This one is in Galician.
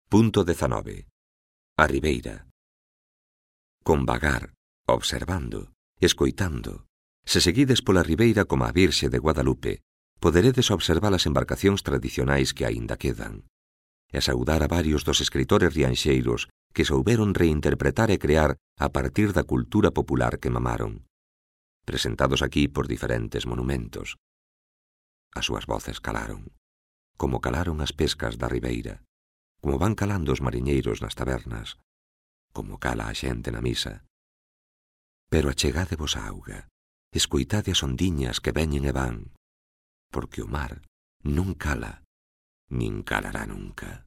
Punto 19. A ribeira. Con vagar, observando, escoitando, se seguides pola ribeira como a Virxe de Guadalupe, poderedes observar as embarcacións tradicionais que aínda quedan, e saudar a varios dos escritores rianxeiros que souberon reinterpretar e crear a partir da cultura popular que mamaron, presentados aquí por diferentes monumentos. As súas voces calaron, como calaron as pescas da ribeira, como van calando os mariñeiros nas tabernas, como cala a xente na misa. Pero achegádevos á auga, escoitade as ondiñas que veñen e van, porque o mar non cala, nin calará nunca.